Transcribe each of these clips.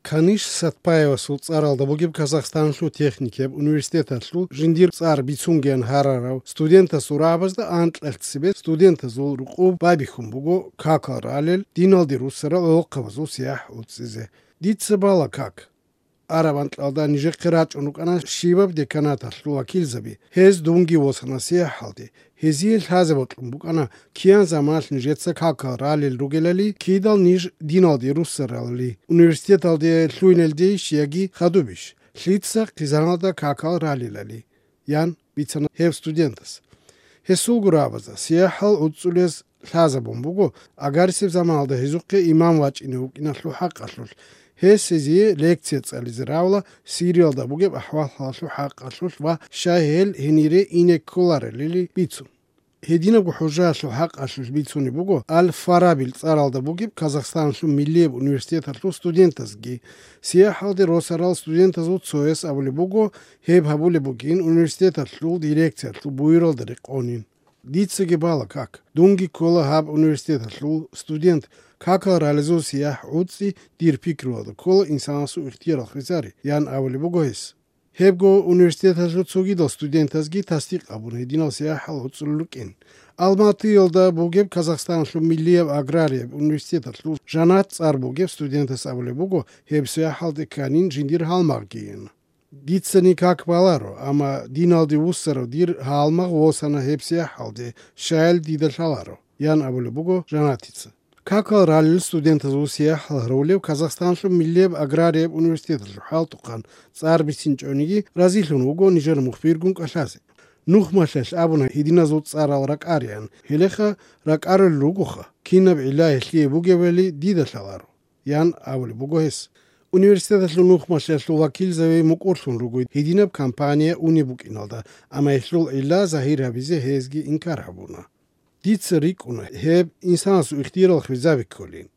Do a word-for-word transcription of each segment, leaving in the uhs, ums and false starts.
Каниш Сатпаевасул цӀаралда бугеб Казахстаналъул техникияб университеталъул жиндир цӀар бицунгеян гьарарав студентасул рагӀабазда анкьалъ цебе студентазул рукъуб байбихьун буго какал ралел диналде руссарал гӀолохъабазул сияхӀ гӀуцӀизе. Дица бала как. Араб анкьалда нижехъе рачӀун рукӀана щибаб деканаталъул вакилзаби. Гьез дунги восана сияхӀалде. Гьезие лъазе бокьун букӀана, киян заманалъ нижеца какал ралел ругелали, кидал ниж диналде руссаралали, университеталде лъугьинелдейищ яги хадубищ, лъица хъизаналда какал ралелали, ян бицана гьев студентас. Гьесулго рагӀабазда сияхӀал гӀуцӀулез лъазабун буго, агарисеб заманалда гьезухъе имам вачӀине вукӀиналъул хӀакъалъулъ, гьес гьезие лекция цӀализе равла Сириялда бугеб ахӀвал-хӀалалъул хӀакъалъулъ ва щай гьел гьенире ине кколарелили бицун. Гьединабго хӀужаялъул хӀакъалъулъ бицунеб буго Аль-Фарабил цӀаралда бугеб Казахстаналъул миллияб университеталъул студентазги. СияхӀалде росарал студентазул цояс абулеб буго, гьеб гьабулеб бугин университеталъул дирекциялъул буюралда рекъонин. Дицаги бала как. Дунги ккола гьаб университеталъул студент, какал ралезул сияхӀ гӀуцӀи дир пикруялда ккола инсанасул ихтияр хвезари, ян абулеб буго гьес. Гьебго университеталъул цогидал студентазги тасдикъ абун гьединал сияхӀал гӀуцӀулел рукӀин. Алматиялда бугеб Казахстаналъул миллияб аграрияб университеталъул Жанат цӀар бугеб студентас абулеб буго, гьеб сияхӀалде кканин жиндир гьалмагъгийин. Дицани как баларо, амма диналде вуссарав дир гьалмагъ восана гьеб сияхӀалде, щаял дида лъаларо, ян абулеб буго Жанатица. Какал ралел студентазул сияхӀал гьарулев Казахстаналъул миллияб аграрияб университеталъул хӀалтӀухъан цӀар бицинчӀониги разилъун вуго нижер мухбиргун кӀалъазе. Нухмалъелъ абуна гьединазул цӀарал ракӀариан, гьелеха ракӀарулел ругоха, кинаб гӀилла гьелъие бугебали дида лъаларо, ян абулеб буго гьес. Университеталъул нухмалъиялъул вакилзаби мукӀурлъун руго гьединаб кампания унеб букӀиналда, амма гьелъул гӀилла загьир гьабизе гьезги инкар гьабуна. Дица рикӀкӀуна гьеб инсанасул ихтиярал хвезаби кколин.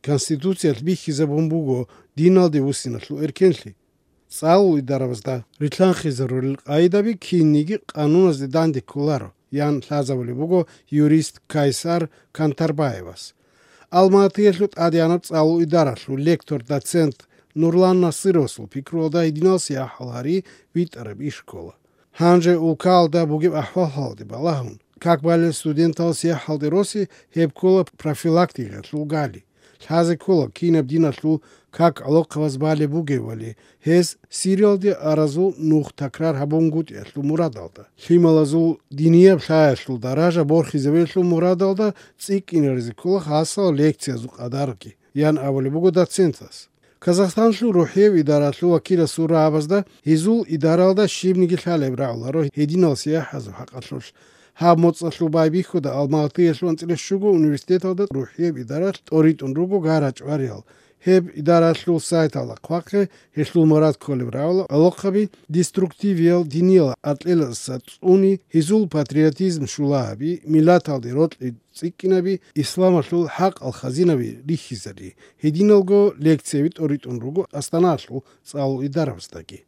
Конституциялъ бихьизабун буго диналде вуссиналъул эркенлъи. ЦӀалул идарабазда рилълъанхъизарулел къагӀидаби кинниги къануназде данде кколаро, ян лъазабулеб буго юрист Кайсар Кантарбаевас. Алматиялъул тӀадегӀанаб цӀалул идаралъул лектор-доцент Нурлан Насыровасул пикруялда гьединал сияхӀал гьари витӀараб иш ккола. Гьанже улкаялда бугеб ахӀвал-хӀалалде балагьун, как балел студентал сияхӀалде роси гьеб ккола профилактикаялъул гали. Лъазе ккола кинаб диналъул как гӀолохъабаз балеб бугевали, гьез Сириялде аразул нух такрар гьабунгутӀиялъул мурадалда, лъималазул динияб лъаялъул даража борхизабиялъул мурадалда цӀикӀкӀинаризе ккола хасал лекциязул къадарги, ян абулеб буго доцентас. Казахстанлъул рухӀияб идаралъул вакиласул рагӀабазда гьезул идаралда щибниги лъалеб рагӀуларо гьединал сияхӀазул хӀакъалъулъ. Гьаб моцӀалъул байбихьуда Алматиялъул анцӀила щуго университеталда рухӀияб идаралъ тӀоритӀун руго гара-чӀвариял. Гьеб идаралъул сайталда хъвахъе гьелъул мурад кколеб рагӀула гӀолохъаби деструктивиял диниял аркьеласа цӀуни, гьезул патриотизм щулагьаби, миллаталде рокьи цӀикӀкӀинаби, исламалъул хӀакъал хазинаби рихьизари. Гьединалго лекцияби тӀоритӀун руго Астаналъул цӀалул идарабаздаги.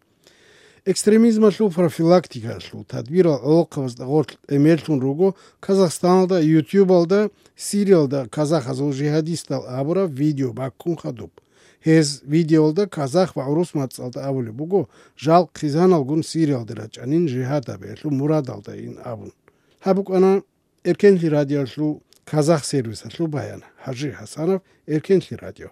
Экстремизмалъул профилактикаялъул тадбирал гӀолохъабазда гъорлъ тӀемерлъун руго Казахстаналда, ютубалда, Сириялда казахазул жихадистал абураб видео баккун хадуб. Гьез видеоялда казах ва гӀурус мацӀалда абулеб буго, жал хъизаналгун Сириялде рачӀанин жихад гьабиялъул мурадалдайин абун. Гьаб букӀана Эркенлъи радиоялъул казах сервисалъул баян. ХӀажи ХӀасанов, Эркенлъи радио.